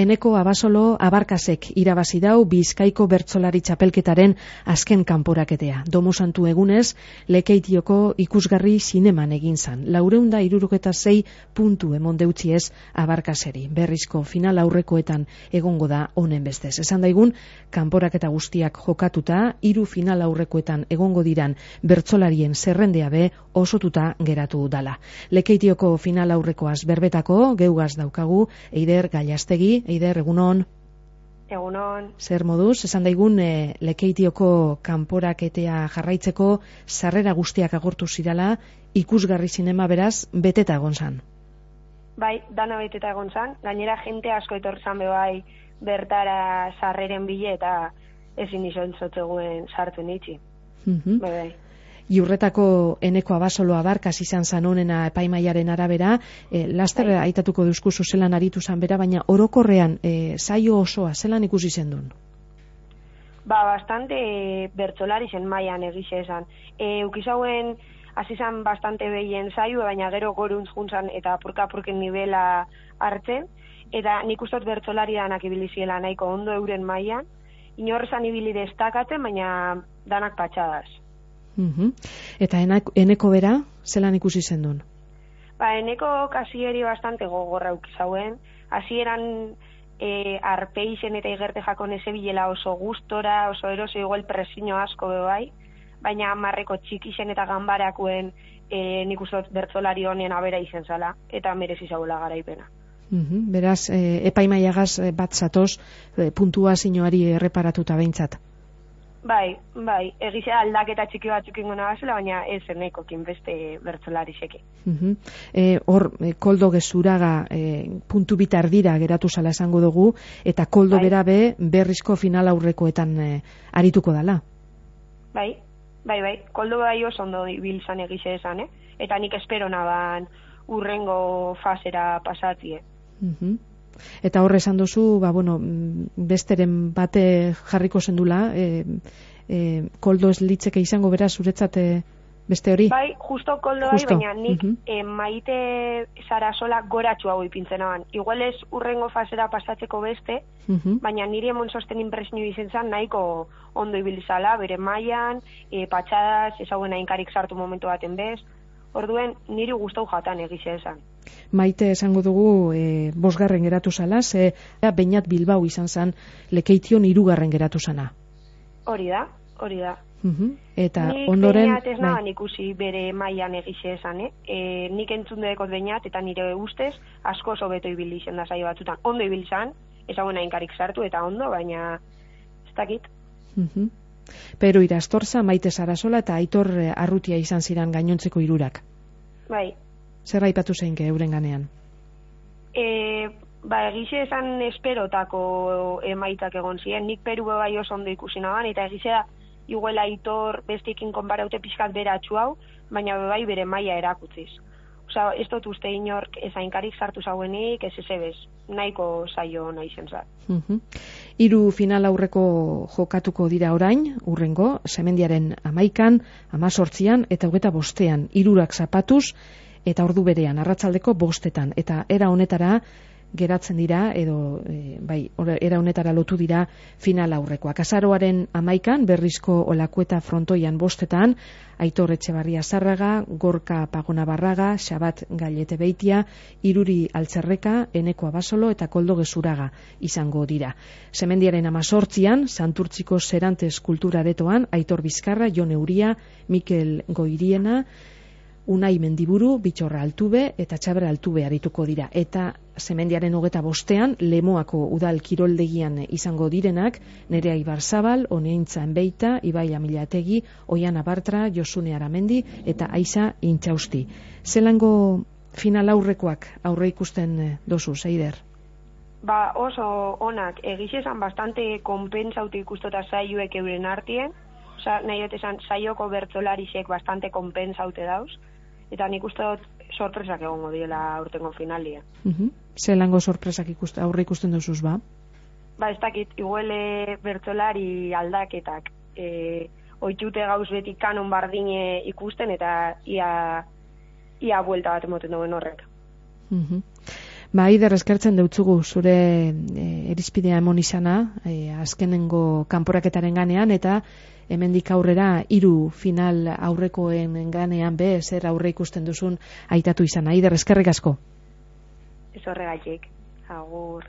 Eneko Abasolo Abarkasek irabazi dau Bizkaiko bertsolari txapelketaren azken kanporaketea. Domo Santu egunez, Lekeitioko ikusgarri zineman egin zan. 466 puntu emon deutziez Abarkaseri. Berrizko final aurrekoetan egongo da honen bestez. Esan daigun, kanporaketa guztiak jokatuta, 3 final aurrekoetan egongo diran bertsolarien zerrendea be osotuta geratu dala. Lekeitioko final aurrekoaz berbetako, geugaz daukagu, Eider Gallastegi. Eider, egunon. Egunon. Zer moduz, esan daigun Lekeitioko kanporaketea jarraitzeko sarrera guztiak agortu zirala, ikusgarri zinema beraz, beteta egon zan. Bai, dana beteta egon zan. Gainera jente asko etorri zan bai bertara sarreren bile eta ezin izan zotzeguen sartu nitsi. Bai. Iurretako Eneko Abasolo Abarkas izan zan honena epaimaiaren arabera, laster aitatuko duzkuzu zelan aritu zan bera, baina orokorrean saio osoa zelan ikusi zendun? Bastante bertsolari zen mailan egixe esan. Ukizauen hasi zan bastante behien saio, baina gero goruntz juntzan eta apurka-apurken nivela hartzen, eta nik ustot bertsolari danak ibili ziela nahiko ondo euren mailan, inorrezan ibili destakatzen, baina danak patxadas. Eta Eneko bera, zelan ikusi zendun? Eneko kasieri bastante gogorra ukizauen. Hasieran arpeixen eta igerte jakon ezebilela oso gustora, oso eroso igual presio asko bai, baina marreko txikixen eta ganbarakuen nik ustot bertsolari honen abera izen zala, eta merezi zaula garaipena. Beraz, epaimaiagaz bat zatoz, puntuazioari erreparatuta behintzat. Bai, egizea aldaketa txiki batzuk ingona bazela, baina ez enekokin beste bertsolari seki. Hor, Koldo Gezuraga puntu bitar dira geratu zala esango dugu, eta Koldo bera be berrizko final aurrekoetan arituko dala. Bai, Koldo bai oso ondo ibilzan egize esan, eta nik espero naban urrengo fasera pasatie. Eta horre esan duzu, besteren bate jarriko zendula, Koldo ez litzeke izango bera zuretzat beste hori? Bai, justo Koldo bai, baina nik Maite Sarasola goratxu hau ipintzen aban. Igual ez urrengo fasera pasatzeko beste, baina niri emon sosten impresionio izen zan nahiko ondo ibilizala, bere mailan, patxadas, ezaguena inkarik sartu momentu baten bez. Orduen, niri gustau jatan egize esan. Maite esango dugu 5. geratu zala, Beñat Bilbao izan zan Lekeition 3. geratu zana. Hori da. Eta nik ondoren... Beñat ez naban ikusi bere mailan egize esan, nik entzun dekot Beñat eta nire ustez asko oso beto ibili zen da saio batzutan. Ondo ibili zan, ezaguena inkarik sartu eta ondo, baina ez dakit. Pero Irastorza, Maite Sarasola eta Aitor Arrutia izan ziren gainontzeko 3. Bai. Zer aipatu zeinke euren ganean? Egize esan esperotako emaitzak egon ziren. Nik Peru bai oso ondo ikusi naban, eta egizea igual Aitor besteekin konparaute pixkat beratxu hau, baina bai bere maila erakutziz. Osa, ez dut uste inork ezainkarik sartu zauenik, ez ezebez, nahiko saio nahi zentzat. 3 final aurreko jokatuko dira orain, urrengo, Semendiaren 11an, 18an eta 25an, 3 zapatuz, eta ordu berean, arratsaldeko 5etan, eta era honetara geratzen dira, edo era honetara lotu dira final aurrekoak. Azaroaren 11an, berrizko Olakueta frontoian 5etan, Aitor Etxebarria Zárraga, Gorka Pagona Barraga, Xabat Gallete Beitia, Iruri Altzerreka, Eneko Abasolo eta Koldo Gezuraga izango dira. Semendiaren 18an, Santurtziko Serantes Kultura Aretoan, Aitor Bizkarra, Jon Euria, Mikel Goiriena, Unai Mendiburu, Bitxorra Altube eta Txabra Altube arituko dira. Eta Semendiaren 25an, Lemoako udal kiroldegian izango direnak, Nerea Ibarzabal, Oneintza Enbeita, Ibai Amilategi, Oiana Bartra, Josune Aramendi eta Aiza Intxausti. Zelango final aurrekoak aurre ikusten dozu, Eider? Oso onak, egiz esan bastante konpentsauti ikustota saioek euren artien, nahi dut esan saioko bertsolarisek bastante konpensaute dauz, eta nik uste dut sorpresak egongo diela aurtengo finalia. Zelango sorpresak aurre ikusten duzuz, ba? Ez dakit, iguele bertsolari aldaketak oitute gauz beti kanon bardine ikusten, eta ia buelta bat emoten duen horrek. Aider, eskertzen deutzugu zure irizpidea emon izana, azkenengo kanporaketaren ganean, eta hemendik aurrera 3 final aurrekoen ganean zer aurre ikusten duzun aitatu izana. Aider, eskerrik asko. Ez horregatik, agur.